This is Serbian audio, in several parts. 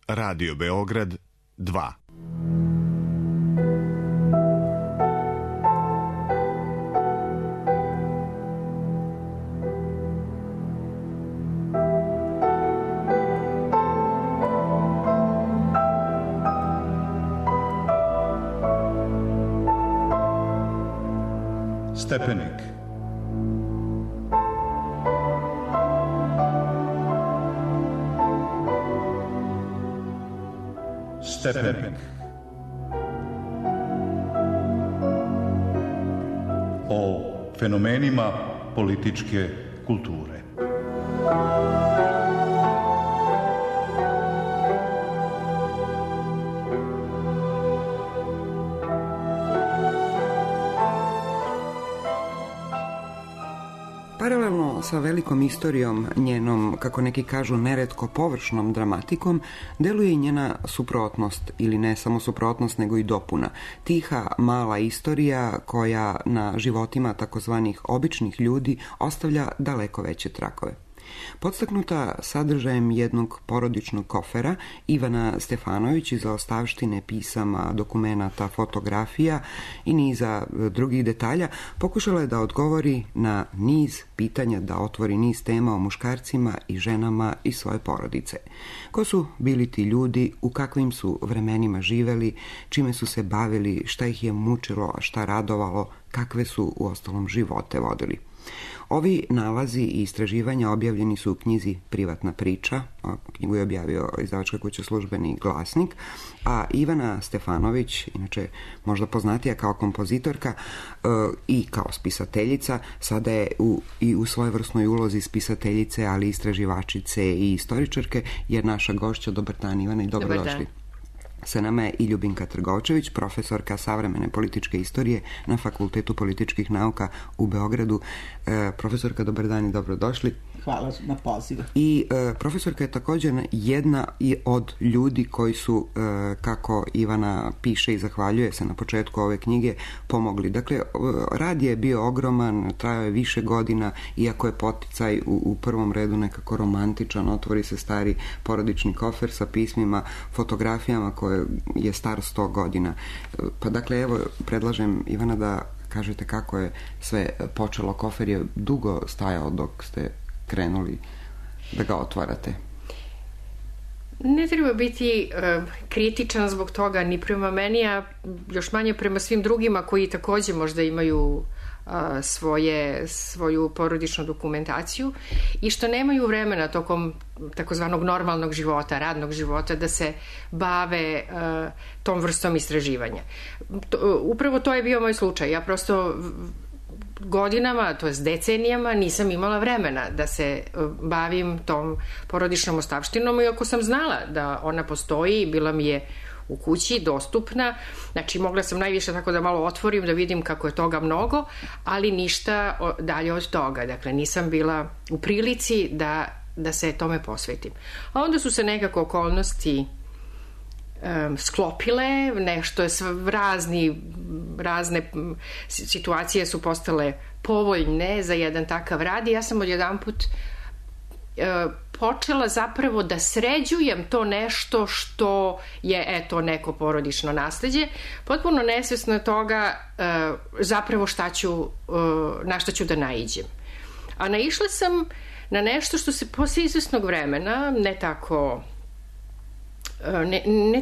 Radio Beograd 2. Stepenik. Stepenik. O fenomenima političke kulture. Paralelno sa velikom istorijom, njenom, kako neki kažu, neretko površnom dramatikom, deluje i njena suprotnost, ili ne samo suprotnost, nego i dopuna. Tiha, mala istorija koja na životima takozvanih običnih ljudi ostavlja daleko veće tragove. Podstaknuta sadržajem jednog porodičnog kofera, Ivana Stefanović iz ostavštine pisama, dokumenata, fotografija i niza drugih detalja pokušala je da odgovori na niz pitanja, da otvori niz tema o muškarcima i ženama i svoje porodice. Ko su bili ti ljudi, u kakvim su vremenima živeli, čime su se bavili, šta ih je mučilo, šta radovalo, kakve su uostalom živote vodili. Ovi nalazi i istraživanja objavljeni su u knjizi Privatna priča, knjigu je objavio izdavačka kuća Službeni glasnik, a Ivana Stefanović, inače možda poznatija kao kompozitorka i kao spisateljica, sada je i u svojevrsnoj ulozi spisateljice, ali istraživačice i istoričarke, je naša gošća. Dobar dan, Ivana, i dobrodošli. Sa nama je i Ljubinka Trgovčević, profesorka savremene političke istorije na Fakultetu političkih nauka u Beogradu. Profesorka, dobar dan i dobrodošli. Hvala na pozivu. I profesorka je također jedna od ljudi koji su, kako Ivana piše i zahvaljuje se na početku ove knjige, pomogli. Dakle, rad je bio ogroman, trajao je više godina, iako je poticaj u prvom redu nekako romantičan, otvori se stari porodični kofer sa pismima, fotografijama koje je star 100 godina. Pa dakle, evo, predlažem, Ivana, da kažete kako je sve počelo. Kofer je dugo stajao dok ste krenuli da ga otvarate. Ne treba biti kritičan zbog toga ni prema meni, a još manje prema svim drugima koji također možda imaju svoju porodičnu dokumentaciju i što nemaju vremena tokom takozvanog normalnog života, radnog života, da se bave tom vrstom istraživanja. Upravo to je bio moj slučaj. Ja prosto godinama, to jest decenijama, nisam imala vremena da se bavim tom porodičnom ostavštinom, iako sam znala da ona postoji, bila mi je u kući, dostupna. Znači, mogla sam najviše tako da malo otvorim, da vidim kako je toga mnogo, ali ništa dalje od toga. Dakle, nisam bila u prilici da se tome posvetim. A onda su se nekako okolnosti sklopile, nešto je razne situacije su postale povoljne za jedan takav rad i ja sam odjedanput počela zapravo da sređujem to nešto što je, eto, neko porodično nasleđe, potpuno nesvesno toga zapravo na šta ću da naiđem. A naišla sam na nešto što se posle izvesnog vremena, ne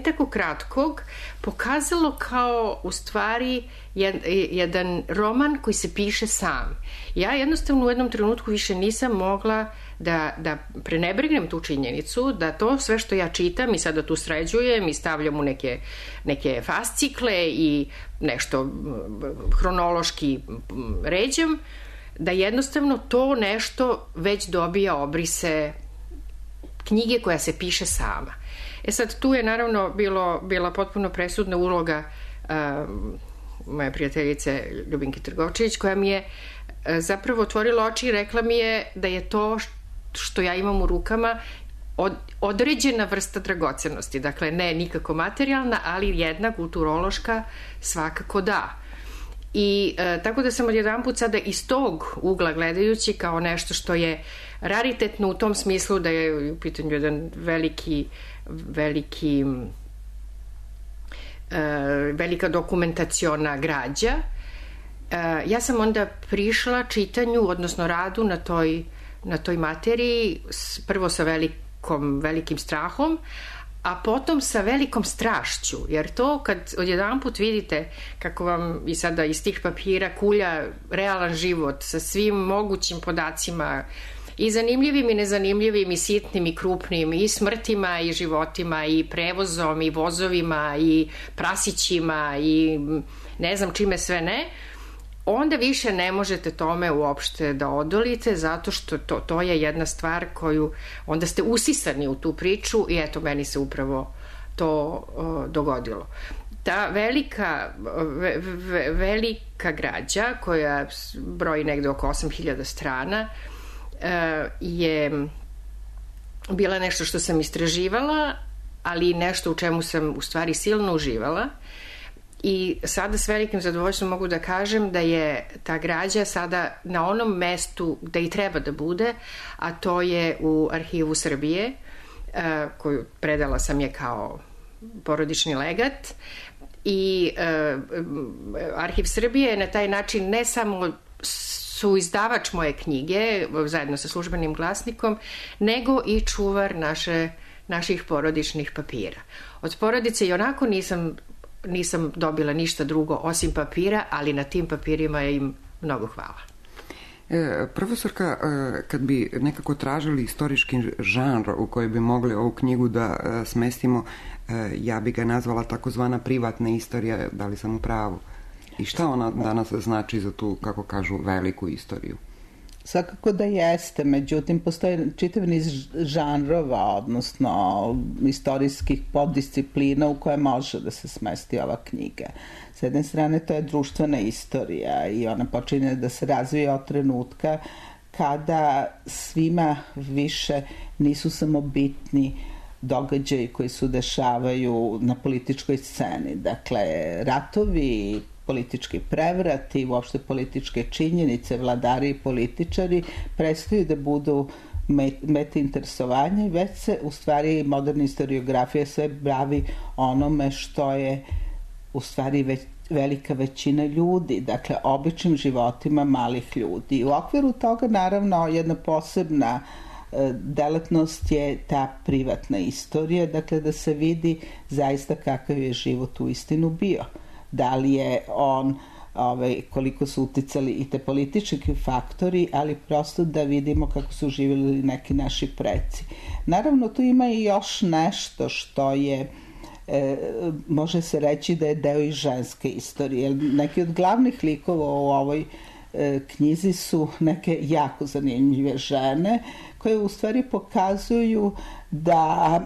tako kratkog, pokazalo kao u stvari jedan roman koji se piše sam. Ja jednostavno u jednom trenutku više nisam mogla da prenebregnem tu činjenicu, da to sve što ja čitam i sada tu sređujem i stavljam u neke fascikle i nešto hronološki ređam, da jednostavno to nešto već dobija obrise knjige koja se piše sama. Sad, tu je naravno bila potpuno presudna uloga moje prijateljice Ljubinke Trgovčević, koja mi je zapravo otvorila oči i rekla mi je da je to što ja imam u rukama određena vrsta dragocenosti. Dakle, ne nikako materijalna, ali jedna kulturološka svakako da. I tako da sam odjedanput sada iz tog ugla gledajući kao nešto što je raritetno u tom smislu da je u pitanju jedan velika dokumentaciona građa. Ja sam onda prišla čitanju, odnosno radu na toj materiji, prvo sa velikim strahom, a potom sa velikom strašću, jer to kad odjedanput vidite kako vam i sada iz tih papira kulja realan život sa svim mogućim podacima, i zanimljivim i nezanimljivim i sitnim i krupnim, i smrtima i životima i prevozom i vozovima i prasićima i ne znam čime sve ne, onda više ne možete tome uopšte da odolite, zato što to je jedna stvar koju onda ste usisani u tu priču i eto, meni se upravo to dogodilo. Ta velika građa koja broji negde oko 8000 strana je bila nešto što sam istraživala, ali nešto u čemu sam u stvari silno uživala. I sada s velikim zadovoljstvom mogu da kažem da je ta građa sada na onom mestu gde i treba da bude, a to je u Arhivu Srbije, koju predala sam je kao porodični legat. I Arhiv Srbije je na taj način ne samo su izdavač moje knjige, zajedno sa Službenim glasnikom, nego i čuvar naših porodičnih papira. Od porodice i onako nisam dobila ništa drugo osim papira, ali na tim papirima im mnogo hvala. Profesorka, kad bi nekako tražili istorijski žanr u koji bi mogli ovu knjigu da smestimo, ja bi ga nazvala takozvana privatna istorija, da li sam u pravu? I šta ona danas znači za tu, kako kažu, veliku istoriju? Svakako da jeste, međutim postoje čitav niz žanrova, odnosno istorijskih poddisciplina u koje može da se smesti ova knjiga. S jedne strane to je društvena istorija i ona počinje da se razvija od trenutka kada svima više nisu samo bitni događaji koji se dešavaju na političkoj sceni. Dakle, ratovi, politički prevrati, uopšte političke činjenice, vladari i političari prestaju da budu mete interesovanja i već se u stvari moderna historiografija sve bavi onome što je u stvari velika većina ljudi, dakle običnim životima malih ljudi. U okviru toga naravno jedna posebna delatnost je ta privatna istorija, dakle da se vidi zaista kakav je život u istinu bio. Da li je on, koliko su uticali i te politički faktori, ali prosto da vidimo kako su živjeli neki naši preci. Naravno, tu ima i još nešto što je, može se reći da je deo i ženske istorije. Neki od glavnih likova u ovoj knjizi su neke jako zanimljive žene koje u stvari pokazuju da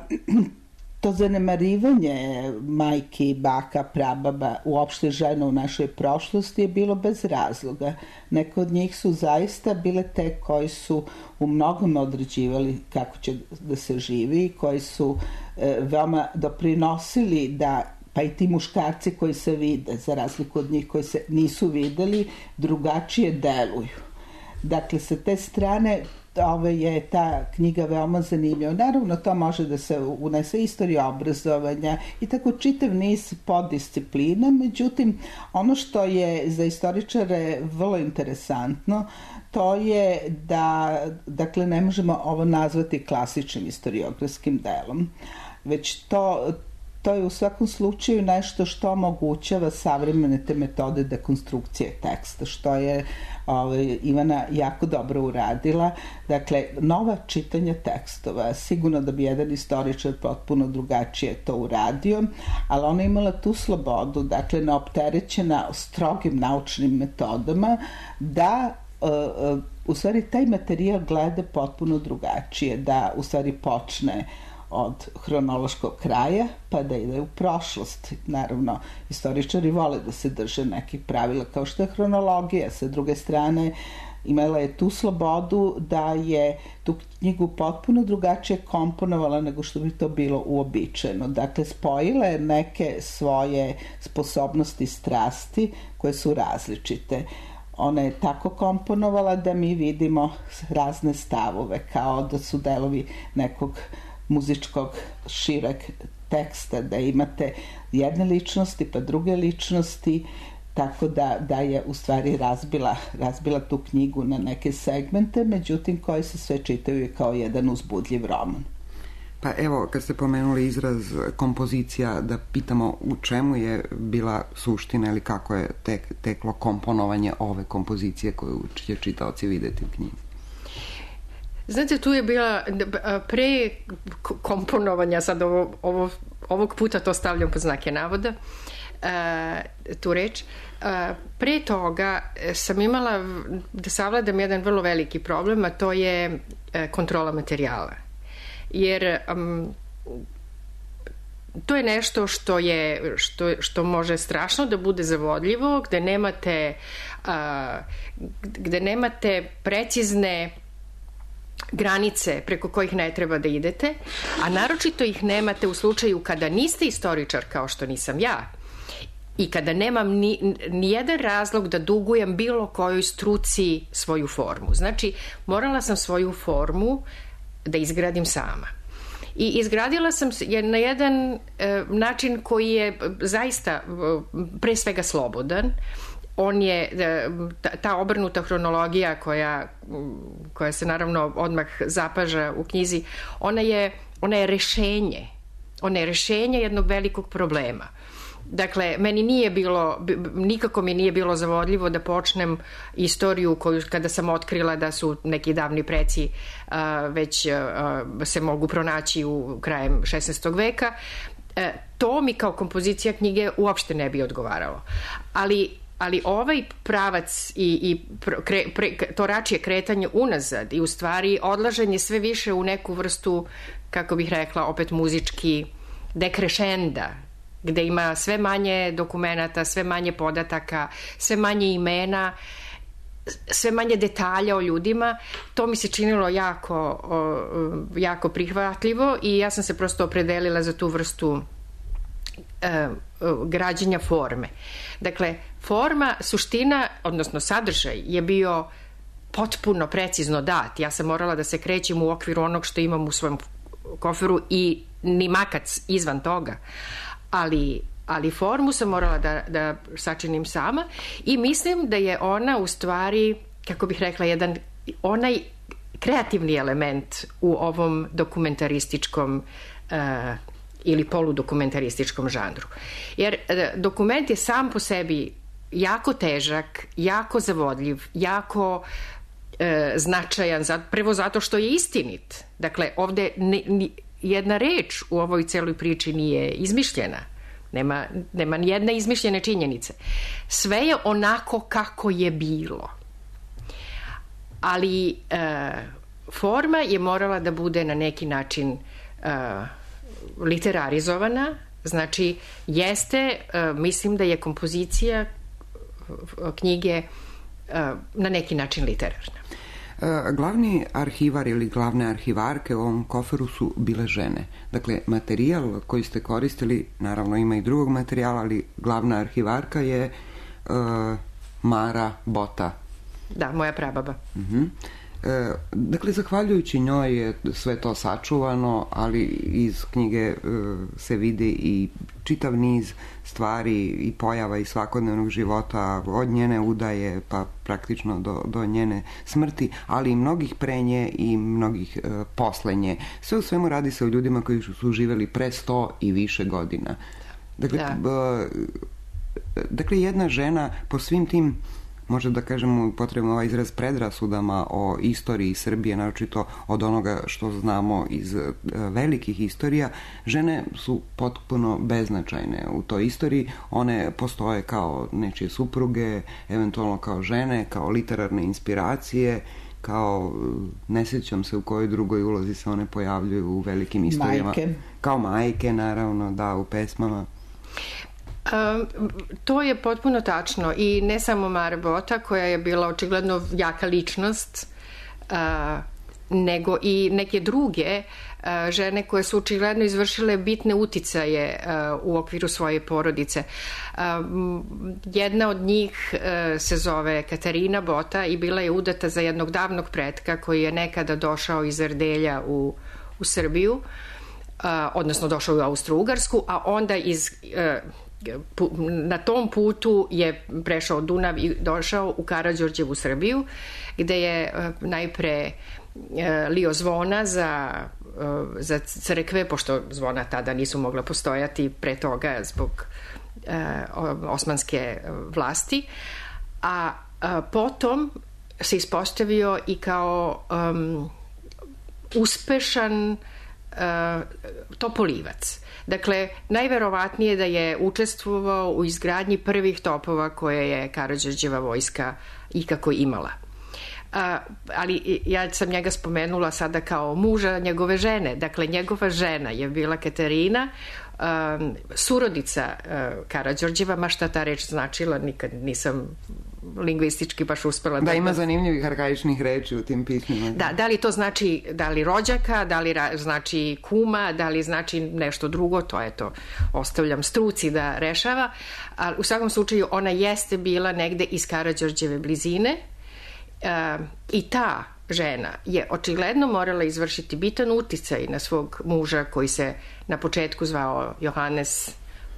to zanemarivanje majki, baka, prababa, uopšte žena u našoj prošlosti je bilo bez razloga. Neke od njih su zaista bile te koji su u mnogome određivali kako će da se živi, koji su veoma doprinosili da, pa i ti muškarci koji se vide, za razliku od njih koji se nisu videli, drugačije deluju. Dakle, sa te strane je ta knjiga veoma zanimljiva. Naravno, to može da se unese istorija obrazovanja i tako čitav niz poddisciplina, međutim, ono što je za istoričare vrlo interesantno, to je da, dakle, ne možemo ovo nazvati klasičnim istoriografskim delom, već to je u svakom slučaju nešto što omogućava savremene te metode dekonstrukcije teksta, što je Ivana jako dobro uradila. Dakle, nova čitanja tekstova, sigurno da bi jedan istoričar potpuno drugačije to uradio, ali ona imala tu slobodu, dakle, neopterećena strogim naučnim metodama, da u stvari taj materijal gleda potpuno drugačije, da u stvari počne od hronološkog kraja pa da ide u prošlost. Naravno, istoričari vole da se drže nekih pravila kao što je hronologija. Sa druge strane, imala je tu slobodu da je tu knjigu potpuno drugačije komponovala nego što bi to bilo uobičajeno. Dakle, spojila je neke svoje sposobnosti, strasti koje su različite. Ona je tako komponovala da mi vidimo razne stavove, kao da su delovi nekog muzičkog šireg teksta, da imate jedne ličnosti pa druge ličnosti, tako da je u stvari razbila tu knjigu na neke segmente, međutim koji se sve čitaju kao jedan uzbudljiv roman. Pa evo, kad ste pomenuli izraz kompozicija, da pitamo u čemu je bila suština ili kako je teklo komponovanje ove kompozicije koju će čitaoci videti u knjizi. Znate, tu je bila pre komponovanja, sad ovog puta to stavljam pod znake navoda, tu reč. Pre toga sam imala da savladam jedan vrlo veliki problem, a to je kontrola materijala. Jer to je nešto što može strašno da bude zavodljivo, gde nemate precizne granice preko kojih ne treba da idete, a naročito ih nemate u slučaju kada niste istoričar kao što nisam ja i kada nemam ni jedan razlog da dugujem bilo kojoj struci svoju formu. Znači, morala sam svoju formu da izgradim sama. I izgradila sam je na jedan način koji je zaista pre svega slobodan. On je, ta obrnuta hronologija koja se naravno odmah zapaža u knjizi, ona je rešenje. Ona je rešenje jednog velikog problema. Dakle, nikako mi nije bilo zavodljivo da počnem istoriju koju kada sam otkrila da su neki davni preci već se mogu pronaći u krajem 16. veka. To mi kao kompozicija knjige uopšte ne bi odgovaralo. Ali ovaj pravac i to račije kretanje unazad i u stvari odlaženje sve više u neku vrstu, kako bih rekla, opet muzički dekrešenda, gde ima sve manje dokumenata, sve manje podataka, sve manje imena, sve manje detalja o ljudima, to mi se činilo jako prihvatljivo i ja sam se prosto opredelila za tu vrstu građenja forme. Dakle, forma, suština, odnosno sadržaj je bio potpuno precizno dat. Ja sam morala da se krećem u okviru onog što imam u svom koferu i ni makac izvan toga. Ali formu sam morala da sačinim sama i mislim da je ona u stvari, kako bih rekla, onaj kreativni element u ovom dokumentarističkom ili poludokumentarističkom žanru. Jer dokument je sam po sebi jako težak, jako zavodljiv, jako značajan, prvo zato što je istinit. Dakle, ovde jedna reč u ovoj celoj priči nije izmišljena. Nema ni jedne izmišljene činjenice. Sve je onako kako je bilo. Ali forma je morala da bude na neki način literarizovana. Znači, mislim da je kompozicija knjige na neki način literarna. Glavni arhivar ili glavne arhivarke u ovom koferu su bile žene. Dakle, materijal koji ste koristili, naravno ima i drugog materijala, ali glavna arhivarka je Mara Bota. Da, moja prababa. Dakle, zahvaljujući njoj je sve to sačuvano, ali iz knjige se vidi i čitav niz stvari i pojava iz svakodnevnog života, od njene udaje pa praktično do njene smrti, ali i mnogih pre nje i mnogih posle nje. Sve u svemu radi se o ljudima koji su živeli pre 100 i više godina. Dakle, jedna žena po svim tim, možda da kažemo, potrebno ovaj izraz, predrasudama o istoriji Srbije, naročito od onoga što znamo iz velikih istorija, žene su potpuno beznačajne u toj istoriji. One postoje kao nečije supruge, eventualno kao žene, kao literarne inspiracije, kao, ne sjećam se u kojoj drugoj ulozi se one pojavljuju u velikim istorijama. Majke. Kao majke, naravno, da, u pesmama. To je potpuno tačno i ne samo Mara Bota koja je bila očigledno jaka ličnost, nego i neke druge žene koje su očigledno izvršile bitne uticaje u okviru svoje porodice. Jedna od njih se zove Katarina Bota i bila je udata za jednog davnog pretka koji je nekada došao iz Erdelja u Srbiju, odnosno došao u Austro-Ugarsku, a onda na tom putu je prešao Dunav i došao u Karađorđevu Srbiju, gde je najpre lio zvona za crkve, pošto zvona tada nisu mogla postojati pre toga zbog osmanske vlasti, a potom se ispostavio i kao uspešan topolivac. Dakle, najverovatnije da je učestvovao u izgradnji prvih topova koje je Karađorđeva vojska ikako imala. Ali ja sam njega spomenula sada kao muža njegove žene. Dakle, njegova žena je bila Katarina, surodica Karađorđeva, ma šta ta reč značila, nikad nisam lingvistički baš uspela da ima zanimljivih arhaičnih reči u tim pismima. Da li to znači, da li rođaka, da li znači kuma, da li znači nešto drugo, to ostavljam struci da rešava, ali u svakom slučaju ona jeste bila negde iz Karađorđeve blizine. I ta žena je očigledno morala izvršiti bitan uticaj na svog muža koji se na početku zvao Johannes,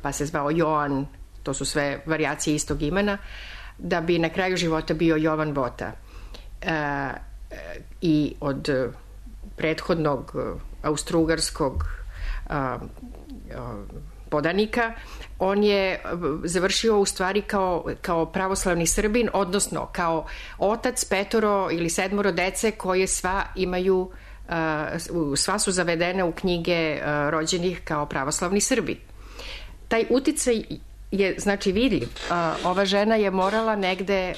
pa se zvao Joan, to su sve varijacije istog imena, da bi na kraju života bio Jovan Bota. I od prethodnog austrougarskog podanika on je završio u stvari kao pravoslavni Srbin, odnosno kao otac 5 ili 7 dece koje sva su zavedene u knjige rođenih kao pravoslavni Srbi. Taj uticaj je znači vidljiv. Ova žena je morala negde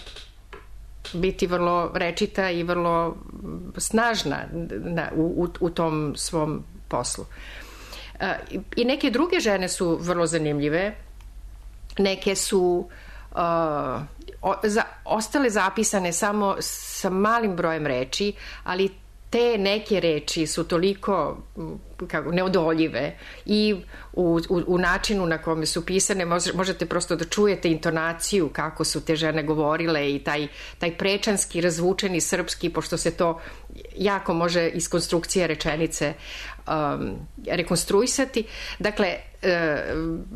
biti vrlo rečita i vrlo snažna u tom svom poslu. I neke druge žene su vrlo zanimljive. Neke su ostale zapisane samo sa malim brojem reči, ali te neke reči su toliko neodoljive i u načinu na kome su pisane možete prosto da čujete intonaciju kako su te žene govorile i taj prečanski, razvučeni srpski, pošto se to jako može iz konstrukcije rečenice rekonstruisati. Dakle,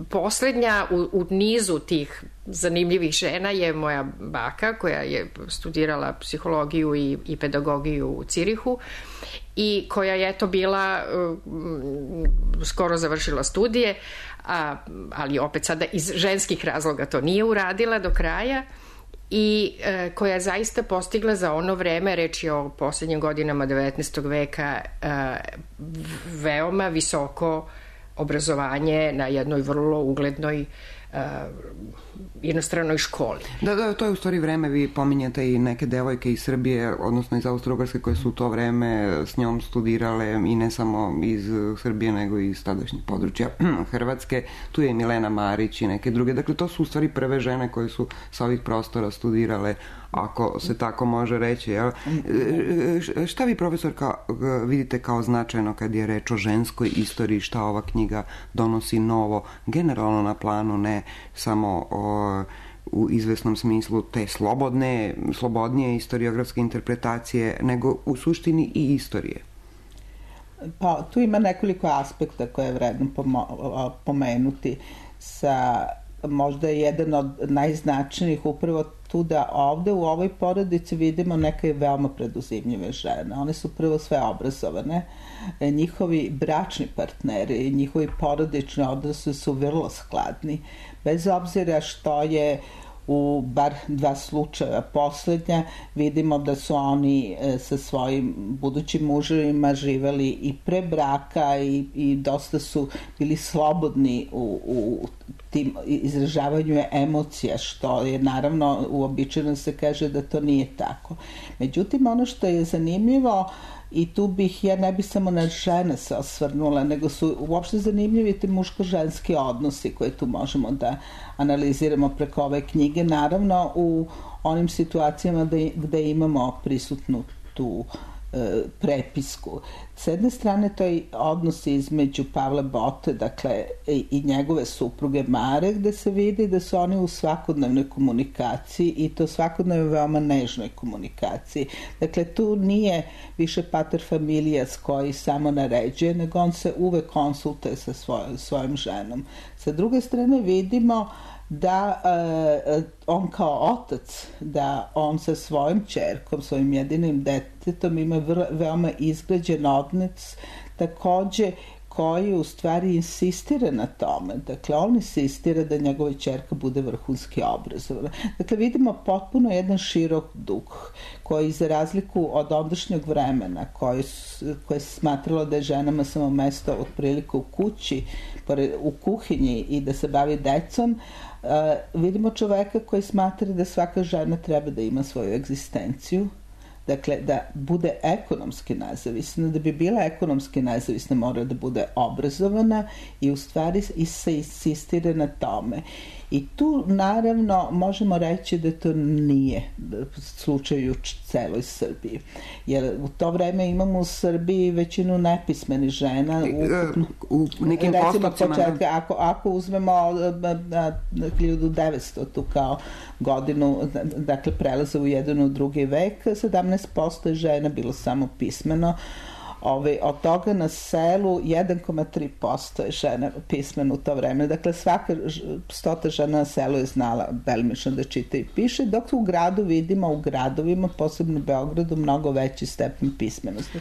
poslednja u nizu tih zanimljivih žena je moja baka koja je studirala psihologiju i pedagogiju u Cirihu i koja je bila skoro završila studije, ali opet sada iz ženskih razloga to nije uradila do kraja i koja je zaista postigla za ono vreme, reč je o poslednjim godinama 19. veka, veoma visoko obrazovanje na jednoj vrlo uglednoj jednostranoj školi. Da, to je u stvari vreme, vi pominjate i neke devojke iz Srbije, odnosno iz Austro-Ugarske koje su u to vreme s njom studirale i ne samo iz Srbije nego i iz tadašnjih područja Hrvatske. Tu je i Milena Marić i neke druge. Dakle, to su u stvari prve žene koje su sa ovih prostora studirale, ako se tako može reći. Jel? Šta vi, profesorka, vidite kao značajno kad je reč o ženskoj istoriji, šta ova knjiga donosi novo, generalno na planu, ne samo u izvesnom smislu te slobodnije historiografske interpretacije, nego u suštini i istorije? Pa, tu ima nekoliko aspekta koje je vredno pomenuti. Možda je jedan od najznačajnijih upravo tu da ovde u ovoj porodici vidimo neke veoma preduzimljive žene. One su prvo sve obrazovane, njihovi bračni partneri, njihovi porodični odnosi su vrlo skladni, bez obzira što je u bar 2 slučaja poslednja, vidimo da su oni sa svojim budućim muževima živeli i pre braka i dosta su bili slobodni u tim izražavanju emocija, što je naravno uobičajeno se kaže da to nije tako. Međutim, ono što je zanimljivo, i tu bih, ja ne bih samo na žene se osvrnula, nego su uopšte zanimljivi ti muško-ženski odnosi koje tu možemo da analiziramo preko ove knjige, naravno u onim situacijama gde imamo prisutnu tu prepisku. S jedne strane to je odnos između Pavla Bote, dakle, i njegove supruge Mare, gde se vidi da su oni u svakodnevnoj komunikaciji i to svakodnevno veoma nežnoj komunikaciji. Dakle, tu nije više pater familijas koji samo naređuje, nego on se uvek konsultuje sa svojom ženom. Sa druge strane vidimo da on kao otac, da on sa svojim ćerkom, svojim jedinim detetom ima veoma izgrađen odnos, takođe koji u stvari insistira na tome. Dakle, on insistira da njegova ćerka bude vrhunski obrazovana. Dakle, vidimo potpuno jedan širok duh koji, za razliku od ondašnjeg vremena koje se smatralo da je ženama samo mesto otprilike u kući, u kuhinji i da se bavi decom, vidimo čoveka koji smatra da svaka žena treba da ima svoju egzistenciju, dakle da bude ekonomski nezavisna, da bi bila ekonomski nezavisna mora da bude obrazovana i u stvari se insistira na tome. I tu naravno možemo reći da to nije slučaj u celoj Srbiji. Jer u to vreme imamo u Srbiji većinu nepismenih žena. U nekim postupcima. Ako uzmemo 1900 tu kao godinu, dakle prelaza u jedan u drugi vek, 17% je žena bilo samo pismeno. Od toga na selu 1,3% je žena pismena u to vreme. Dakle, svaka 100 žena na selu je znala delimično da čita i piše, dok u gradu vidimo, u gradovima, posebno u Beogradu, mnogo veći stepen pismenosti.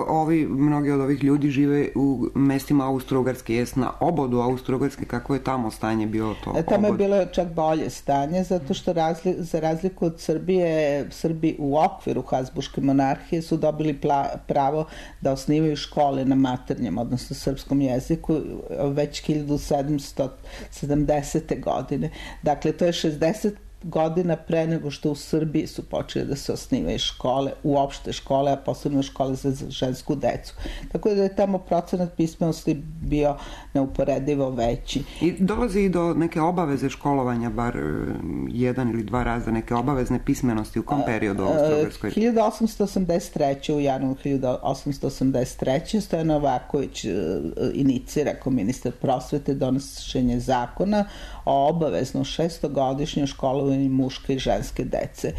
Ali mnogi od ovih ljudi žive u mestima Austro-Ugarske, jest na obodu Austro-Ugarske, kako je tamo stanje bilo to? Tamo je bilo čak bolje stanje, zato što za razliku od Srbije, Srbi u okviru Habsburške monarhije su dobili pravo da osnivaju škole na maternjem, odnosno srpskom jeziku, već 1770. godine. Dakle, to je 60 godina pre nego što u Srbiji su počeli da se osnivaju škole, uopšte škole, a posebno škole za žensku decu. Tako da je tamo procenat pismenosti bio neuporedivo veći. I dolazi i do neke obaveze školovanja, bar jedan ili dva raza, neke obavezne pismenosti u kom periodu u Austro-Ugarskoj? 1883. u januaru 1883. Stojan Novaković inicira kao ministar prosvete donošenje zakona o obavezno 600-godišnjoj školovanju muške i ženske dece.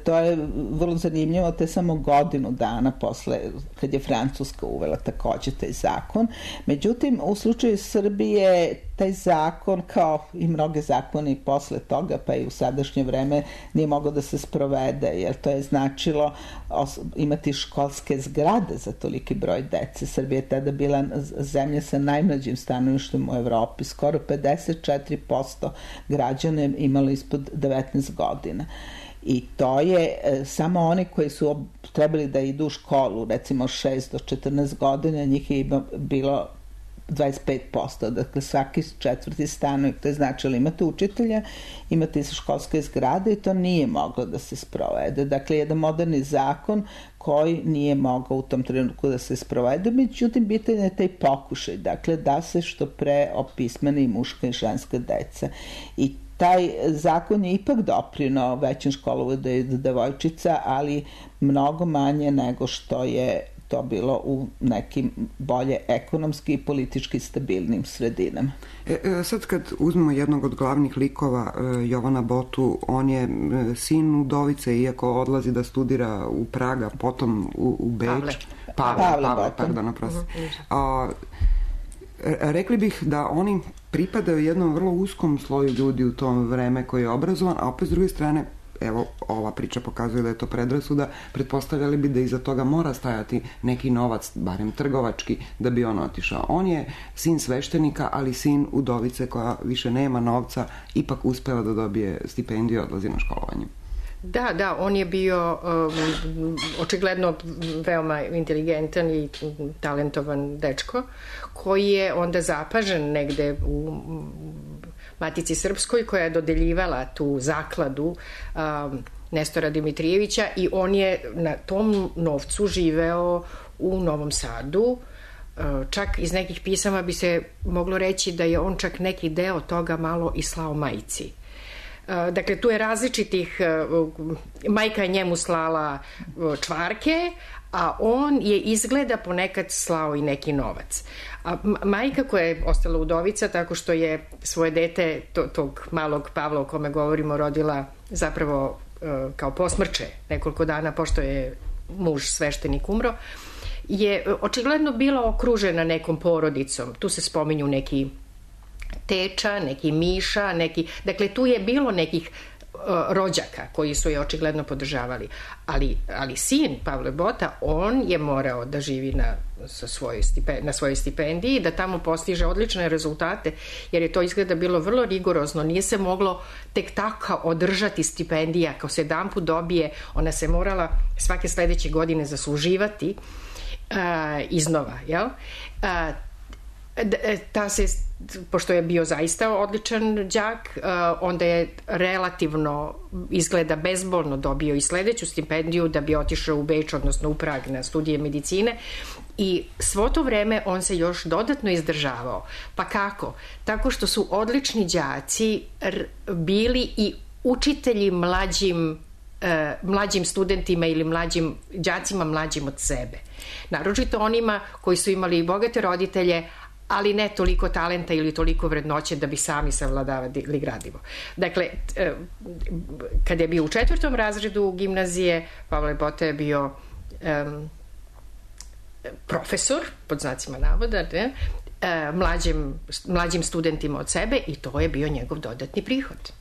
To je vrlo zanimljivo, te samo godinu dana posle, kad je Francuska uvela takođe taj zakon. Međutim, u slučaju Srbije taj zakon, kao i mnoge zakoni posle toga, pa i u sadašnje vreme, nije mogao da se sprovede, jer to je značilo imati školske zgrade za toliki broj dece. Srbija je tada bila zemlja sa najmlađim stanovništvom u Evropi. Skoro 54% građana imalo ispod 19 godina. I to je samo oni koji su trebali da idu u školu, recimo 6 do 14 godina, njih je bilo 25%, dakle svaki četvrti stanovnik, to je značilo imate učitelja, imate školske zgrade i to nije moglo da se sprovede. Dakle, jedan moderni zakon koji nije mogao u tom trenutku da se sprovede, međutim, bitan je taj pokušaj, dakle, da se što pre opismeni i muška i ženska deca. I taj zakon je ipak doprineo većem školovanju devojčica, ali mnogo manje nego što je to bilo u nekim bolje ekonomski i politički stabilnim sredinama. Sad kad uzmemo jednog od glavnih likova, Jovana Botu, on je sin udovice, iako odlazi da studira u Praga, potom u Beč. Pavle, pardon, oprosti. Rekli bih da oni pripadaju jednom vrlo uskom sloju ljudi u tom vreme koji je obrazovan, a opet s druge strane, evo, ova priča pokazuje da je to predrasuda, pretpostavljali bi da iza toga mora stajati neki novac, barem trgovački, da bi on otišao. On je sin sveštenika, ali sin udovice koja više nema novca, ipak uspela da dobije stipendiju i odlazi na školovanje. Da, on je bio očigledno veoma inteligentan i talentovan dečko, koji je onda zapažen negde Matici Srpskoj koja je dodeljivala tu zakladu Nestora Dimitrijevića i on je na tom novcu živeo u Novom Sadu. Čak iz nekih pisama bi se moglo reći da je on čak neki deo toga malo i slao majci. Dakle, tu je različitih, majka je njemu slala čvarke, a on je izgleda ponekad slao i neki novac. A majka koja je ostala udovica tako što je svoje dete, tog malog Pavla o kome govorimo, rodila zapravo kao posmrče nekoliko dana pošto je muž sveštenik umro, je očigledno bila okružena nekom porodicom. Tu se spominju neki Teča, neki Miša, dakle tu je bilo nekih rođaka koji su je očigledno podržavali. Ali sin Pavle Bota, on je morao da živi na svojoj stipendiji, da tamo postiže odlične rezultate, jer je to izgleda bilo vrlo rigorozno. Nije se moglo tek tako održati stipendija. Kao se jedanput dobije, ona se morala svake sledeće godine zasluživati iznova, jel? Pošto je bio zaista odličan đak, onda je relativno, izgleda bezbolno, dobio i sledeću stipendiju da bi otišao u Beč, odnosno u Prag na studije medicine, i svo to vreme on se još dodatno izdržavao. Pa kako? Tako što su odlični đaci bili i učitelji mlađim studentima ili đacima mlađim od sebe. Naročito onima koji su imali bogate roditelje, ali ne toliko talenta ili toliko vrednoće da bi sami savladavali gradivo. Dakle, kada je bio u 4. razredu gimnazije, Pavle Bota je bio profesor, pod znacima navoda, mlađim studentima od sebe, i to je bio njegov dodatni prihod.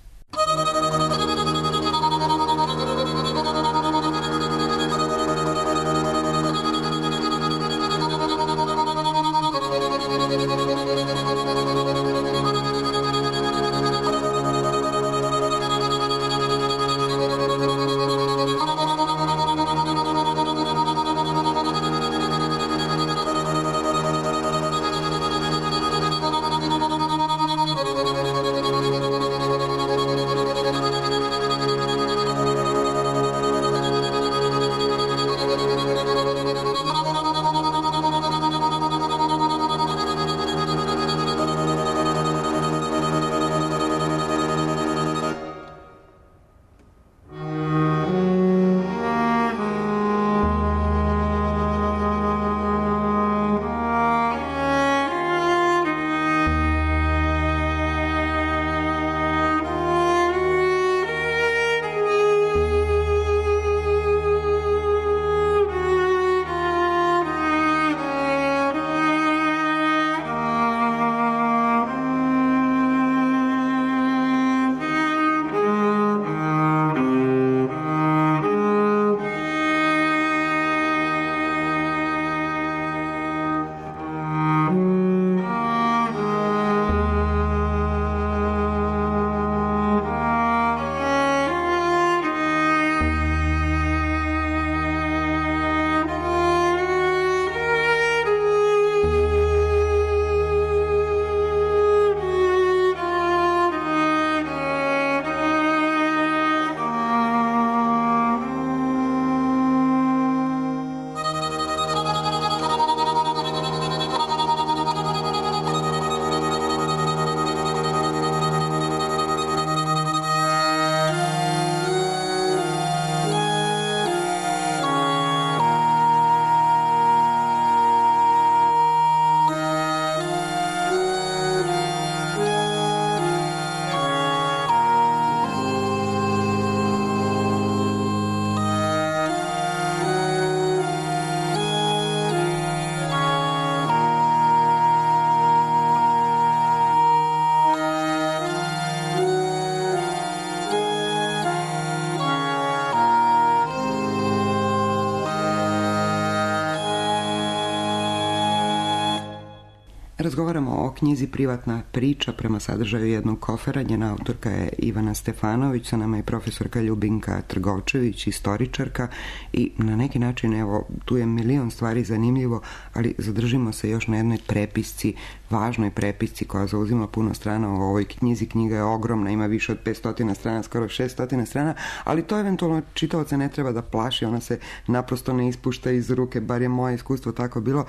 Razgovaramo o knjizi Privatna priča prema sadržaju jednog kofera. Njena autorka je Ivana Stefanović, sa nama je profesorka Ljubinka Trgovčević, istoričarka, i na neki način, evo, tu je milion stvari zanimljivo, ali zadržimo se još na jednoj prepisci, važnoj prepisci koja zauzima puno strana u ovoj knjizi. Knjiga je ogromna, ima više od 500 strana, skoro 600 strana, ali to eventualno čitaoca ne treba da plaši, ona se naprosto ne ispušta iz ruke, bar je moje iskustvo tako bilo.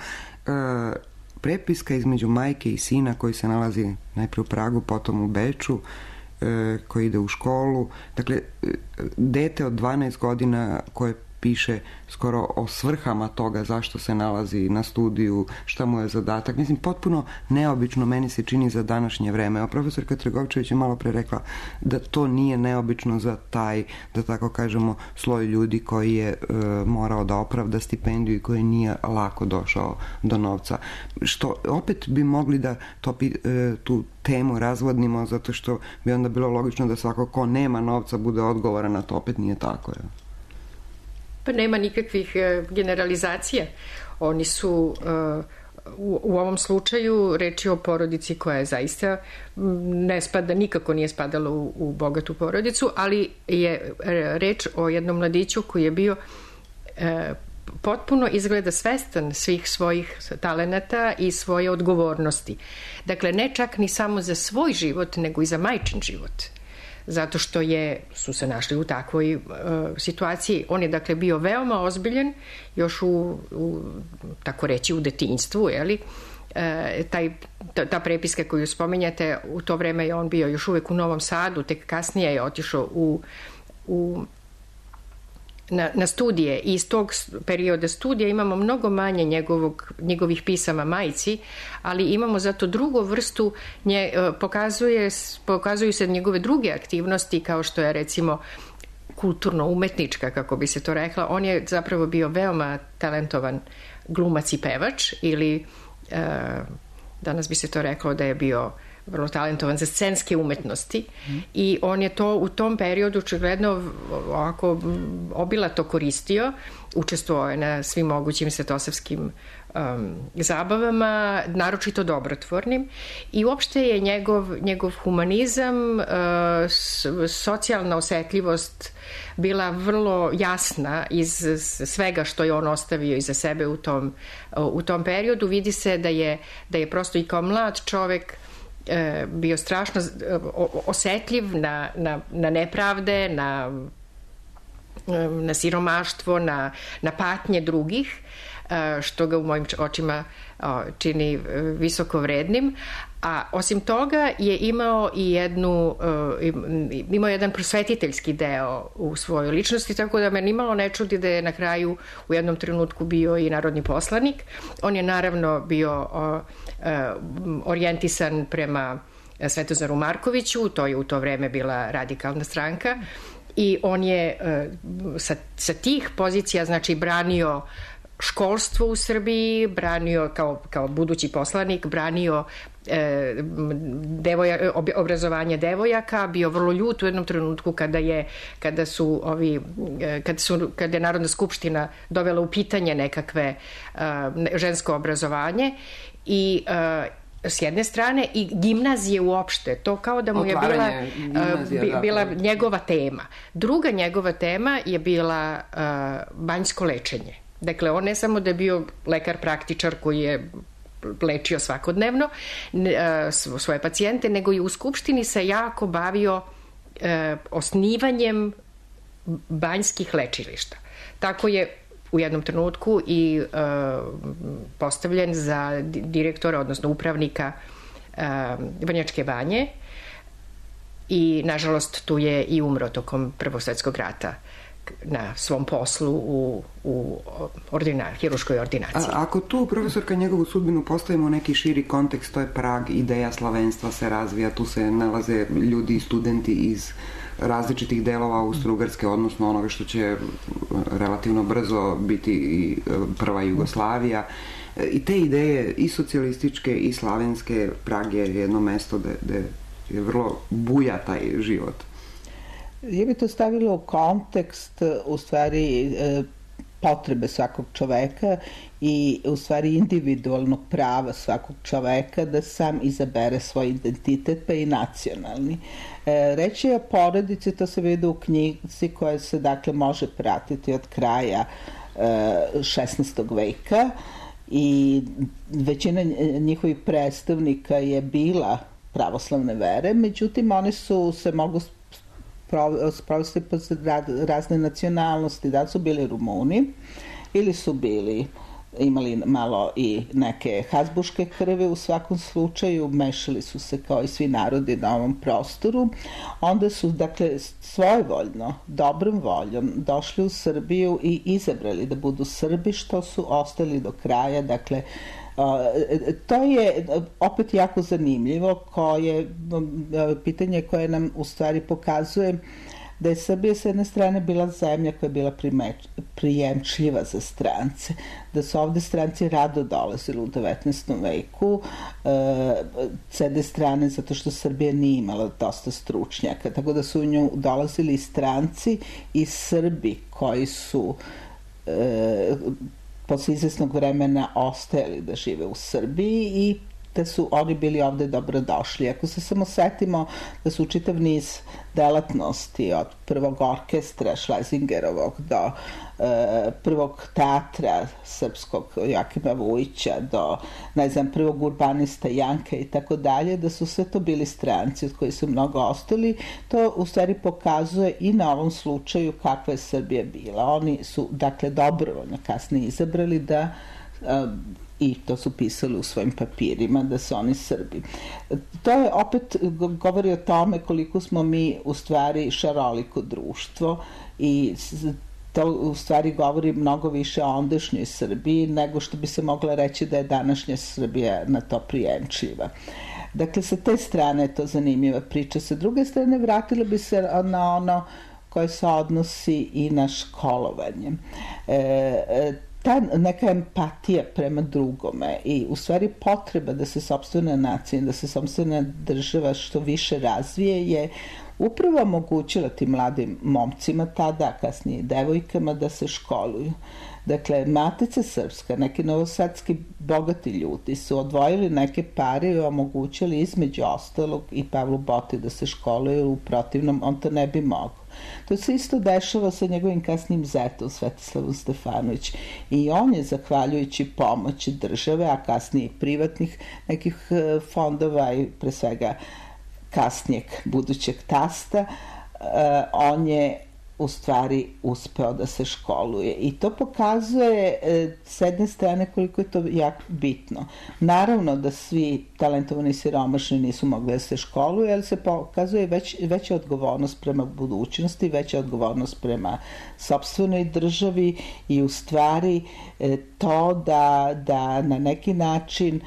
Prepiska između majke i sina koji se nalazi najprije u Pragu, potom u Beču, koji ide u školu. Dakle, dete od 12 godina koje piše skoro o svrhama toga zašto se nalazi na studiju, šta mu je zadatak. Mislim, potpuno neobično meni se čini za današnje vreme. A profesorka Trgovčević je malo pre rekla da to nije neobično za taj, da tako kažemo, sloj ljudi koji je morao da opravda stipendiju i koji nije lako došao do novca. Što opet bi mogli da tu temu razvodnimo, zato što bi onda bilo logično da svako ko nema novca bude odgovoran, na to opet nije tako. Pa nema nikakvih generalizacija. Oni su u ovom slučaju reč je o porodici koja je zaista nikako nije spadala u bogatu porodicu, ali je reč o jednom mladiću koji je bio potpuno izgleda svestan svih svojih talenata i svoje odgovornosti. Dakle, ne čak ni samo za svoj život, nego i za majčin život. Zato što su se našli u takvoj situaciji. On je, dakle, bio veoma ozbiljen, još tako reći, u detinjstvu, jeli? Ta prepiska koju spominjate, u to vreme je on bio još uvek u Novom Sadu, tek kasnije je otišao na studije, i iz tog perioda studija imamo mnogo manje njegovih pisama majci, ali imamo zato drugu vrstu, pokazuju se njegove druge aktivnosti, kao što je, recimo, kulturno-umetnička, kako bi se to rekla. On je zapravo bio veoma talentovan glumac i pevač, ili danas bi se to reklo da je bio vrlo talentovan za scenske umetnosti, i on je to u tom periodu očigledno ovako obilato koristio, učestvovao je na svim mogućim svetosavskim zabavama, naročito dobrotvornim, i uopšte je njegov humanizam, socijalna osetljivost bila vrlo jasna iz svega što je on ostavio iza sebe u tom periodu. Vidi se da je prosto i kao mlad čovek bio strašno osetljiv na nepravde, na siromaštvo, na patnje drugih, što ga u mojim očima čini visoko vrednim. A osim toga je imao jedan prosvetiteljski deo u svojoj ličnosti, tako da me nimalo ne čudi da je na kraju u jednom trenutku bio i narodni poslanik. On je naravno bio orijentisan prema Svetozaru Markoviću, to je u to vreme bila radikalna stranka, i on je sa tih pozicija, znači, branio školstvo u Srbiji, branio kao budući poslanik, branio obrazovanje devojaka, bio vrlo ljut u jednom trenutku kada je Narodna skupština dovela u pitanje nekakve žensko obrazovanje, i s jedne strane, i gimnazije uopšte, to kao da mu je bila njegova tema. Druga njegova tema je bila banjsko lečenje. Dakle, on ne samo da je bio lekar praktičar koji je lečio svakodnevno svoje pacijente, nego i u Skupštini se jako bavio osnivanjem banjskih lečilišta. Tako je u jednom trenutku i postavljen za direktora, odnosno upravnika Vrnjačke banje, i nažalost tu je i umro tokom Prvog svetskog rata na svom poslu u hiruškoj ordinaciji. Ako tu, profesorka, njegovu sudbinu postavimo u neki širi kontekst, to je Prag, ideja slavenstva se razvija, tu se nalaze ljudi i studenti iz različitih delova Austro-Ugarske, odnosno onoga što će relativno brzo biti i prva Jugoslavija. I te ideje, i socijalističke i slavenske, Prag je jedno mesto gde je vrlo buja taj život. Ja bi to stavila u kontekst, u stvari, potrebe svakog čoveka i u stvari individualnog prava svakog čoveka da sam izabere svoj identitet, pa i nacionalni. Reč je o porodici, to se vidi u knjizi koja se dakle može pratiti od kraja 16. veka i većina njihovih predstavnika je bila pravoslavne vere, međutim oni su se mogu sprovesti po razne nacionalnosti, da su bili Rumuni ili su imali malo i neke hazbuške krvi, u svakom slučaju mešali su se kao i svi narodi na ovom prostoru. Onda su, dakle, svojevoljno, dobrom voljom došli u Srbiju i izabrali da budu Srbi, što su ostali do kraja. Dakle, to je opet jako zanimljivo, pitanje koje nam u stvari pokazuje da je Srbija s jedne strane bila zemlja koja je bila prijemčljiva za strance, da su ovde stranci rado dolazili u 19. veku, s jedne strane zato što Srbija nije imala dosta stručnjaka, tako da su u nju dolazili i stranci i Srbi koji su posle izvesnog vremena ostajali da žive u Srbiji i da su oni bili ovde dobrodošli. Ako se samo setimo da su čitav niz delatnosti od prvog orkestra Šlezingerovog do prvog teatra srpskog Joakima Vujića do, ne znam, prvog urbanista Janka i tako dalje, da su sve to bili stranci od koji su mnogo ostali, to u stvari pokazuje i na ovom slučaju kakva je Srbija bila. Oni su, dakle, dobrovoljno kasnije izabrali da i to su pisali u svojim papirima da su oni Srbi. To je opet govori o tome koliko smo mi u stvari šaroliko društvo i to u stvari govori mnogo više o ondašnjoj Srbiji nego što bi se mogla reći da je današnja Srbija na to prijemčljiva. Dakle, sa te strane je to zanimljiva priča. Sa druge strane, vratila bi se na ono koje se odnosi i na školovanje. Ta neka empatija prema drugome i u stvari potreba da se sopstvena nacija, da se sopstvena država što više razvije je upravo omogućila tim mladim momcima tada, kasnije devojkama, da se školuju. Dakle, Matica Srpska, neki novosadski bogati ljudi su odvojili neke pare i omogućili između ostalog i Pavlu Boti da se školuje, u protivnom on to ne bi mogao. To se isto dešava sa njegovim kasnim zetom Svetislavom Stefanović i on je, zahvaljujući pomoći države, a kasnije privatnih nekih fondova i pre svega kasnijeg budućeg tasta, on je u stvari uspeo da se školuje i to pokazuje s jedne strane koliko je to jako bitno. Naravno da svi talentovani siromašni nisu mogli da se školuju, ali se pokazuje veća odgovornost prema budućnosti, veća odgovornost prema sopstvenoj državi i u stvari to da na neki način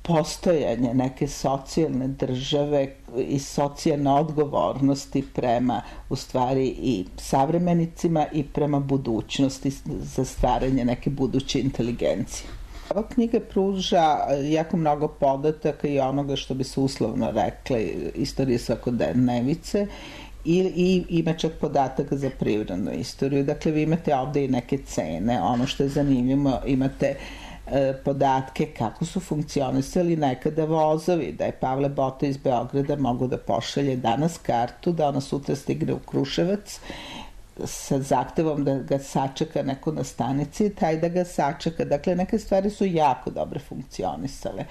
postojanje neke socijalne države i socijalne odgovornosti prema u stvari i savremenicima i prema budućnosti za stvaranje neke buduće inteligencije. Ova knjiga pruža jako mnogo podataka i onoga što bi se uslovno rekle istorije svakodnevice i ima čak podataka za privrednu istoriju. Dakle, vi imate ovde i neke cene. Ono što je zanimljivo, imate podatke kako su funkcionisali nekada vozovi, da je Pavle Bota iz Beograda mogu da pošalje danas kartu, da ona sutra stigne u Kruševac sa zahtevom da ga sačeka neko na stanici, taj da ga sačeka. Dakle, neke stvari su jako dobro funkcionisale.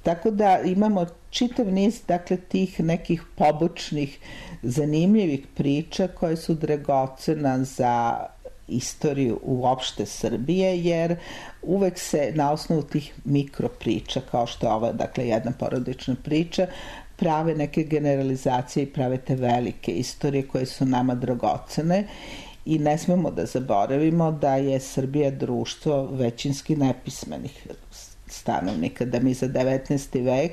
Tako da imamo čitav niz, dakle, tih nekih pobočnih, zanimljivih priča koje su dragocena za istoriju uopšte Srbije, jer uvek se na osnovu tih mikropriča, kao što je ova, dakle, jedna porodična priča, prave neke generalizacije i prave te velike istorije koje su nama dragocene i ne smemo da zaboravimo da je Srbija društvo većinski nepismenih stanovnika, da mi za 19. vek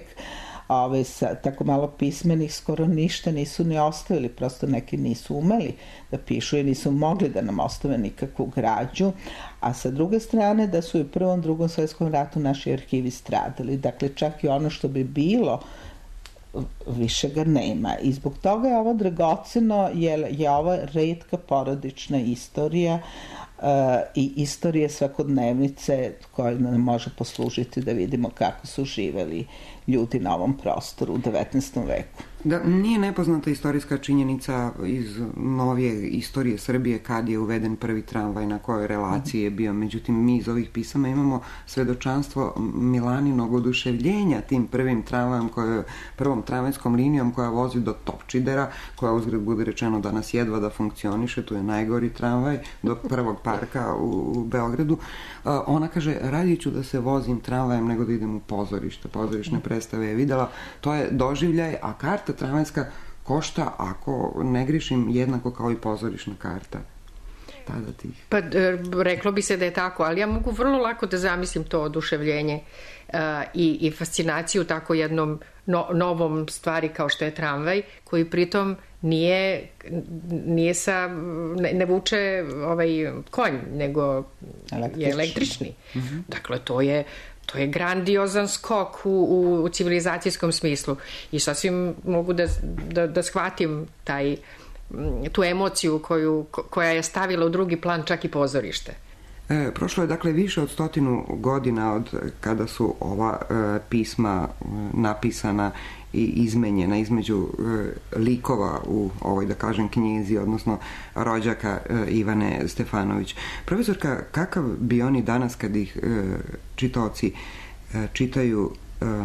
sa tako malo pismenih skoro ništa nisu ni ostavili, prosto neki nisu umeli da pišu i nisu mogli da nam ostave nikakvu građu, a sa druge strane da su i u Prvom, Drugom svetskom ratu naši arhivi stradali. Dakle, čak i ono što bi bilo, više ga nema. I zbog toga je ovo dragoceno, jer je ova retka porodična istorija i istorije svakodnevnice koja nam može poslužiti da vidimo kako su živeli ljudi na ovom prostoru u 19. veku. Da, nije nepoznata istorijska činjenica iz novije istorije Srbije kad je uveden prvi tramvaj, na kojoj relaciji je bio. Međutim, mi iz ovih pisama imamo svedočanstvo Milaninog oduševljenja tim prvim tramvajem, prvom tramvajskom linijom koja vozi do Topčidera, koja uzgred bude rečeno danas jedva da funkcioniše, tu je najgori tramvaj, do prvog parka u Beogradu. Ona kaže, radije ću da se vozim tramvajem nego da idem u pozorište. Pozorišne predstave je videla. To je doživljaj, a karta tramvajska košta, ako ne grišim, jednako kao i pozorišna karta. Tada tih. Pa reklo bi se da je tako, ali ja mogu vrlo lako da zamislim to oduševljenje i fascinaciju tako jednom novom stvari kao što je tramvaj, koji pritom nije ne vuče konj, nego je električni. Dakle, to je grandiozan skok u civilizacijskom smislu i sasvim mogu da shvatim tu emociju koja je stavila u drugi plan čak i pozorište. Prošlo je dakle više od 100 godina od kada su ova pisma napisana i izmenjena između likova u ovoj, da kažem, knjizi, odnosno rođaka Ivane Stefanović. Profesorka, kakav bi oni danas, kad ih čitaoci čitaju,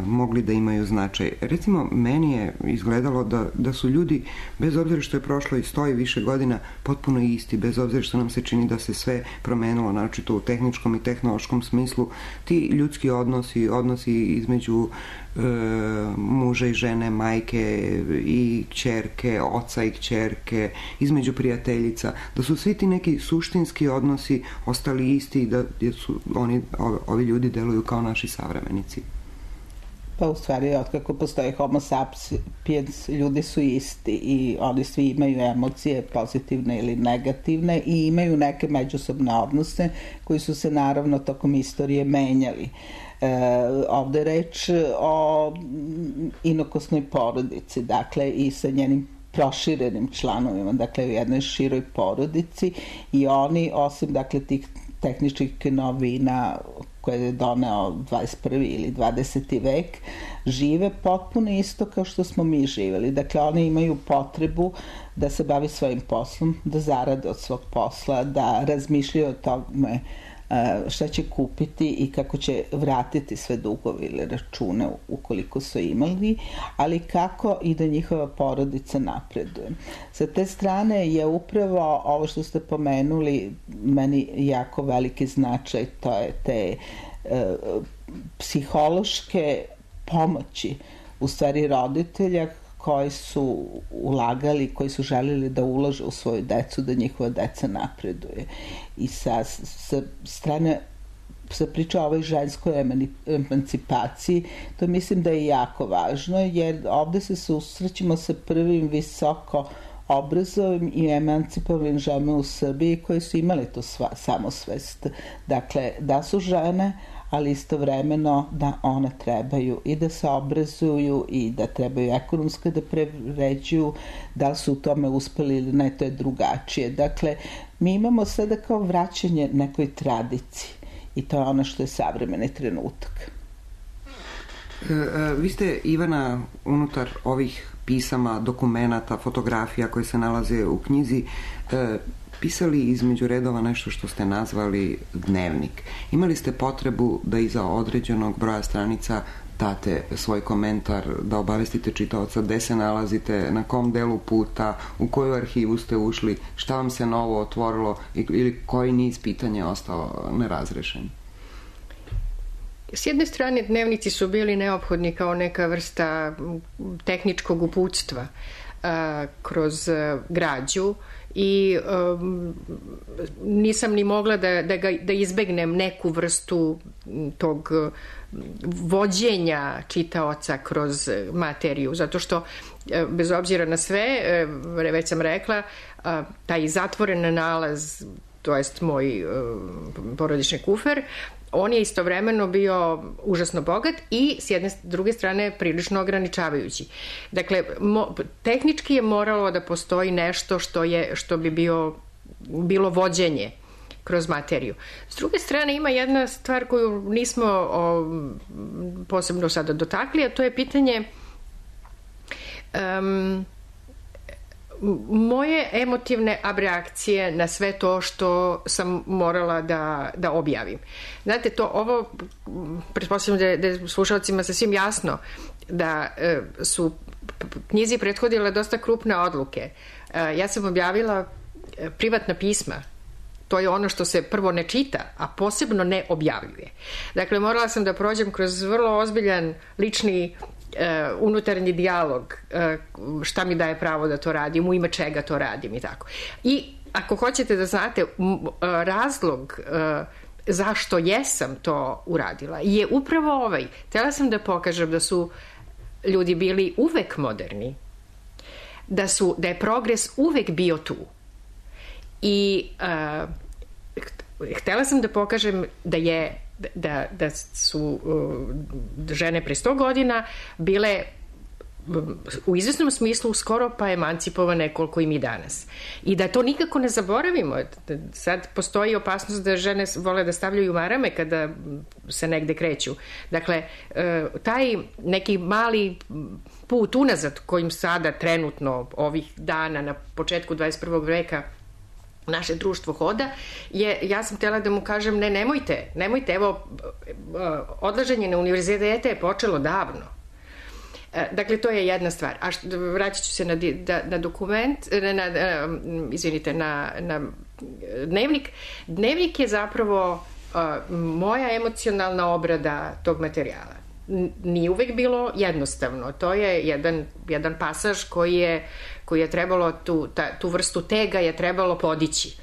mogli da imaju značaj? Recimo, meni je izgledalo da su ljudi, bez obzira što je prošlo i 100 i više godina, potpuno isti, bez obzira što nam se čini da se sve promenilo, naročito u tehničkom i tehnološkom smislu. Ti ljudski odnosi između muža i žene, majke i kćerke, oca i kćerke, između prijateljica, da su svi ti neki suštinski odnosi ostali isti i da su ovi ljudi deluju kao naši savremenici. Pa u stvari, otkako postoji homo sapiens, ljudi su isti i oni svi imaju emocije pozitivne ili negativne i imaju neke međusobne odnose koji su se naravno tokom istorije menjali. Ovde je reč o inokosnoj porodici, dakle i sa njenim proširenim članovima, dakle u jednoj široj porodici, i oni, osim dakle tih tehničkih novina koje je doneo 21. ili 20. vek, žive potpuno isto kao što smo mi živeli. Dakle, oni imaju potrebu da se bavi svojim poslom, da zarade od svog posla, da razmišljaju o tome šta će kupiti i kako će vratiti sve dugove ili račune ukoliko su imali, ali kako i da njihova porodica napreduje. Sa te strane je upravo ovo što ste pomenuli meni jako veliki značaj, to je te psihološke pomoći u stvari roditelja koji su ulagali, koji su želeli da ulože u svoju decu, da njihova deca napreduje. I sa strane se priča o ovoj ženskoj emancipaciji, to mislim da je jako važno, jer ovde se susrećemo sa prvim visoko obrazovim i emancipovanim ženama u Srbiji koje su imali tu samosvest. Dakle, da su žene, ali istovremeno da one trebaju i da se obrazuju i da trebaju ekonomski da prevređuju, da li su u tome uspeli ili ne, to je drugačije. Dakle, mi imamo sada kao vraćanje nekoj tradiciji i to je ono što je savremeni trenutak. Vi ste, Ivana, unutar ovih pisama, dokumenata, fotografija koje se nalaze u knjizi, pisali između redova nešto što ste nazvali dnevnik. Imali ste potrebu da iza određenog broja stranica date svoj komentar, da obavestite čitaoca gde se nalazite, na kom delu puta, u koju arhivu ste ušli, šta vam se novo otvorilo ili koji niz pitanja je ostao nerazrešen? S jedne strane, dnevnici su bili neophodni kao neka vrsta tehničkog uputstva kroz građu i nisam ni mogla da izbegnem neku vrstu tog vođenja čitaoca kroz materiju, zato što bez obzira na sve, već sam rekla, taj zatvoren nalaz, to jest moj porodični kufer, on je istovremeno bio užasno bogat i s jedne druge strane prilično ograničavajući. Dakle, tehnički je moralo da postoji nešto što bi bilo vođenje kroz materiju. S druge strane, ima jedna stvar koju nismo posebno sada dotakli, a to je pitanje moje emotivne abreakcije na sve to što sam morala da objavim. Znate, ovo pretpostavljam da je slušalcima sasvim jasno da su knjizi prethodile dosta krupne odluke. Ja sam objavila privatna pisma. To je ono što se prvo ne čita, a posebno ne objavljuje. Dakle, morala sam da prođem kroz vrlo ozbiljan lični unutarnji dijalog, šta mi daje pravo da to radim, u ime čega to radim i tako. I ako hoćete da znate razlog zašto jesam to uradila, je upravo ovaj. Htjela sam da pokažem da su ljudi bili uvek moderni, da je progres uvek bio tu. I htjela sam da pokažem da su žene pre 100 godina bile u izvesnom smislu skoro pa emancipovane koliko i mi danas. I da to nikako ne zaboravimo. Sad postoji opasnost da žene vole da stavljaju marame kada se negde kreću. Dakle, taj neki mali put unazad kojim sada trenutno ovih dana na početku 21. veka naše društvo hoda, ja sam htjela da mu kažem nemojte, evo, odlaženje na univerzitete je počelo davno. Dakle, to je jedna stvar. A vraćat ću se na dokument, na dnevnik. Dnevnik je zapravo moja emocionalna obrada tog materijala. Nije uvek bilo jednostavno. To je jedan pasaž koji je trebalo, tu vrstu tega je trebalo podići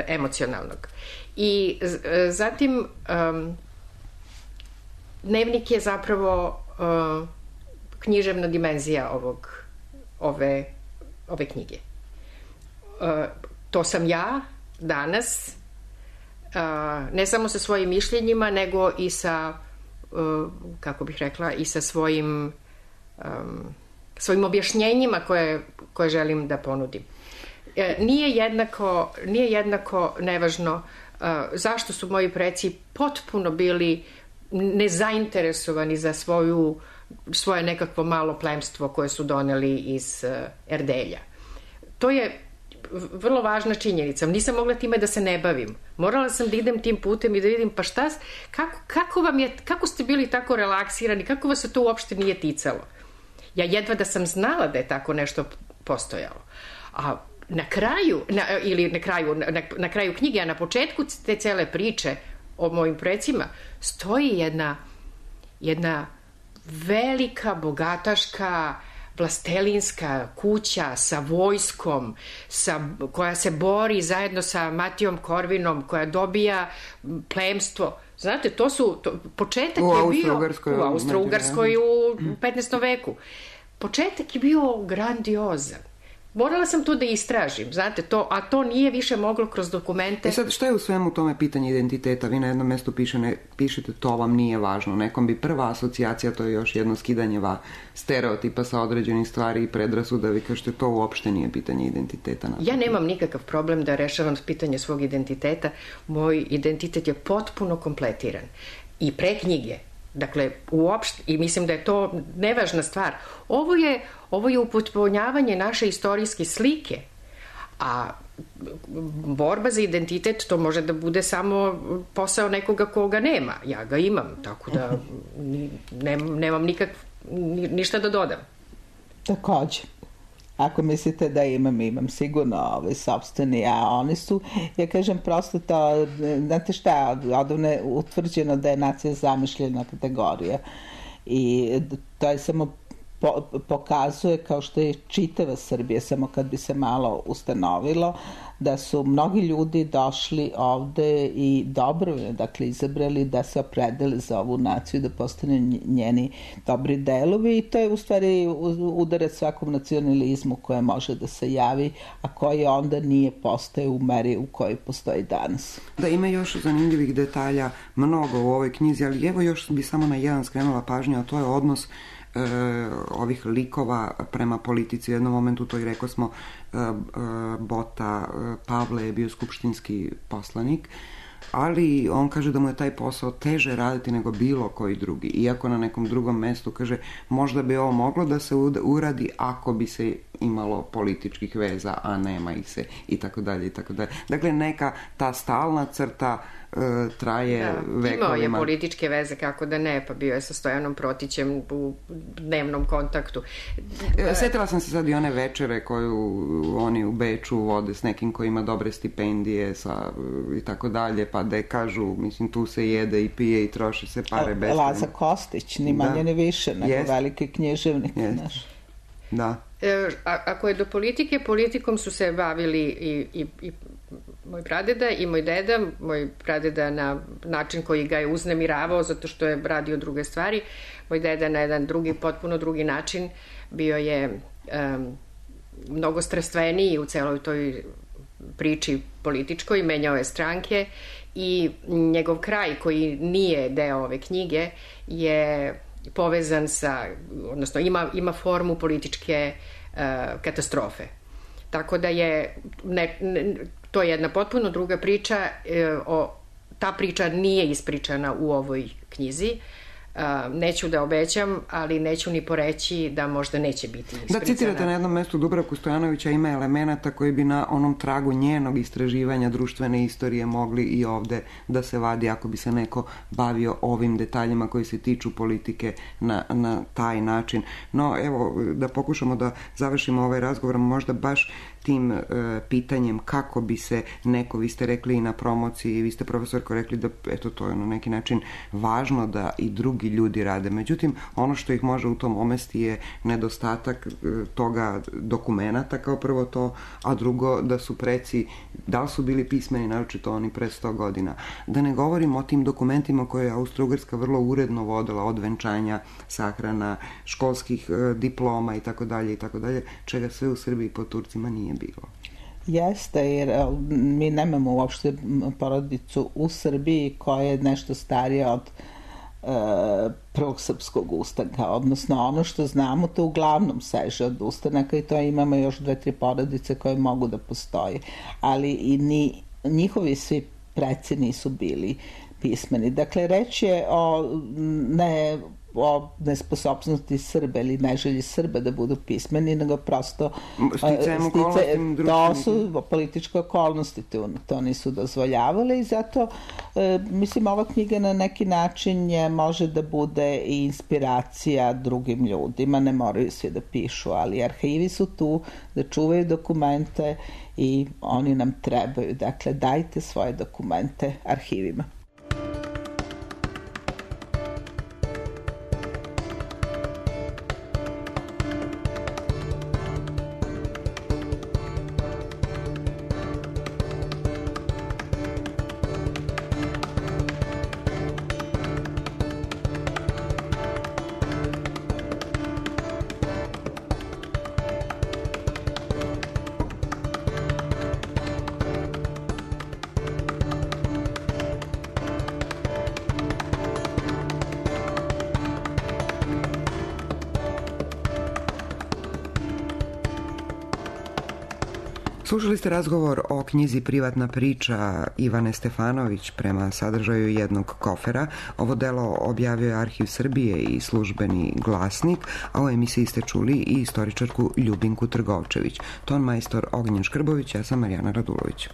emocionalnog. I zatim dnevnik je zapravo književna dimenzija ove knjige. To sam ja danas, ne samo sa svojim mišljenjima, nego i sa, kako bih rekla, i sa svojim objašnjenjima koje želim da ponudim. Nije jednako nevažno zašto su moji preci potpuno bili nezainteresovani za svoje nekakvo malo plemstvo koje su doneli iz Erdelja. To je vrlo važna činjenica. Nisam mogla time da se ne bavim. Morala sam da idem tim putem i da vidim pa šta, kako ste bili tako relaksirani, kako vas se to uopšte nije ticalo. Ja jedva da sam znala da je tako nešto postojalo. A na kraju knjige, a na početku te cele priče o mojim precima stoji jedna velika, bogataška, vlastelinska kuća sa vojskom, koja se bori zajedno sa Matijom Korvinom, koja dobija plemstvo. Znate, početak je bio u Austro-Ugarskoj u 15. veku. Početak je bio grandiozan. Morala sam to da istražim, znate, a to nije više moglo kroz dokumente. Sad, šta je u svemu tome pitanje identiteta? Vi na jednom mjestu pišete to vam nije važno. Nekom bi prva asocijacija, to je još jedno skidanje stereotipa sa određenih stvari i predrasuda. Vi kažete, to uopšte nije pitanje identiteta. Ja nemam nikakav problem da rešavam pitanje svog identiteta. Moj identitet je potpuno kompletiran. I pre knjige. Dakle, uopšte, i mislim da je to nevažna stvar. Ovo je upotpunjavanje naše istorijske slike, a borba za identitet to može da bude samo posao nekoga koga nema. Ja ga imam, tako da nemam ništa da dodam. Takođe. Ako mislite da imam sigurno sopstveni, a oni su, ja kažem prosto to, znate šta, odavno je utvrđeno da je nacija zamišljena kategorija i to je samo pokazuje, kao što je čitava Srbija, samo kad bi se malo ustanovilo, da su mnogi ljudi došli ovde i dobrovoljno, dakle, izabrali da se opredele za ovu naciju, da postane njeni dobri delovi i to je u stvari udarac svakom nacionalizmu koje može da se javi, a koji onda nije postoje u meri u kojoj postoji danas. Da, ima još zanimljivih detalja mnogo u ovoj knjizi, ali evo još bi samo na jedan skrenula pažnju, a to je odnos ovih likova prema politici. U jednom momentu to i rekao smo Bota, Pavle je bio skupštinski poslanik, ali on kaže da mu je taj posao teže raditi nego bilo koji drugi. Iako na nekom drugom mestu kaže možda bi ovo moglo da se uradi ako bi se imalo političkih veza, a nema ih se i tako dalje i tako dalje. Dakle, neka ta stalna crta traje vekovima. Imao je političke veze, kako da ne, pa bio je sa Stojanom Protićem u dnevnom kontaktu. Sjetila sam se sad i one večere koju oni u Beču vode s nekim koji ima dobre stipendije i tako dalje, pa da kažu, mislim, tu se jede i pije i troši se pare beskrajno. Laza Kostić, ni manje ni više, nego veliki književnik. Da. Ako je do politike, politikom su se bavili i moj pradeda i moj deda. Moj pradeda na način koji ga je uznemiravao zato što je radio druge stvari. Moj deda na jedan potpuno drugi način. Bio je mnogo strastveniji u celoj toj priči političkoj, menjao je stranke i njegov kraj koji nije deo ove knjige je povezan odnosno ima formu političke katastrofe. Tako da je to je jedna potpuno druga priča. Ta priča nije ispričana u ovoj knjizi. Neću da obećam, ali neću ni poreći da možda neće biti ispričana. Da, citirate na jednom mestu Dubravku Stojanovića, ima elemenata koji bi na onom tragu njenog istraživanja društvene istorije mogli i ovde da se vadi ako bi se neko bavio ovim detaljima koji se tiču politike na taj način. No, evo, da pokušamo da završimo ovaj razgovor možda baš tim pitanjem kako bi se neko, vi ste rekli i na promociji, vi ste profesorko rekli da eto to je na neki način važno da i drugi ljudi rade. Međutim, ono što ih može u tom omesti je nedostatak toga dokumenata kao prvo to, a drugo da su preci, da li su bili pismeni, naročito oni pre 100 godina. Da ne govorim o tim dokumentima koje je Austro-Ugarska vrlo uredno vodila od venčanja, sahrana, školskih diploma i tako dalje, čega sve u Srbiji po Turcima nije bilo. Jeste, jer mi nemamo uopšte porodicu u Srbiji koja je nešto starija od prvog srpskog ustanka, odnosno ono što znamo to uglavnom seže od ustanaka i to imamo još 2-3 porodice koje mogu da postoje, ali i njihovi svi preci nisu bili pismeni. Dakle, reč je o nesposobnosti Srba ili neželji Srba da budu pismeni, nego prosto to su političke okolnosti, to nisu dozvoljavale i zato mislim ova knjiga na neki način može da bude i inspiracija drugim ljudima, ne moraju svi da pišu, ali arhivi su tu da čuvaju dokumente i oni nam trebaju, dakle dajte svoje dokumente arhivima. Slušali ste razgovor o knjizi Privatna priča Ivane Stefanović prema sadržaju jednog kofera. Ovo delo objavio je Arhiv Srbije i Službeni glasnik, a u emisiji ste čuli i istoričarku Ljubinku Trgovčević. Ton majstor Ognjen Škrbović, ja sam Marijana Radulović.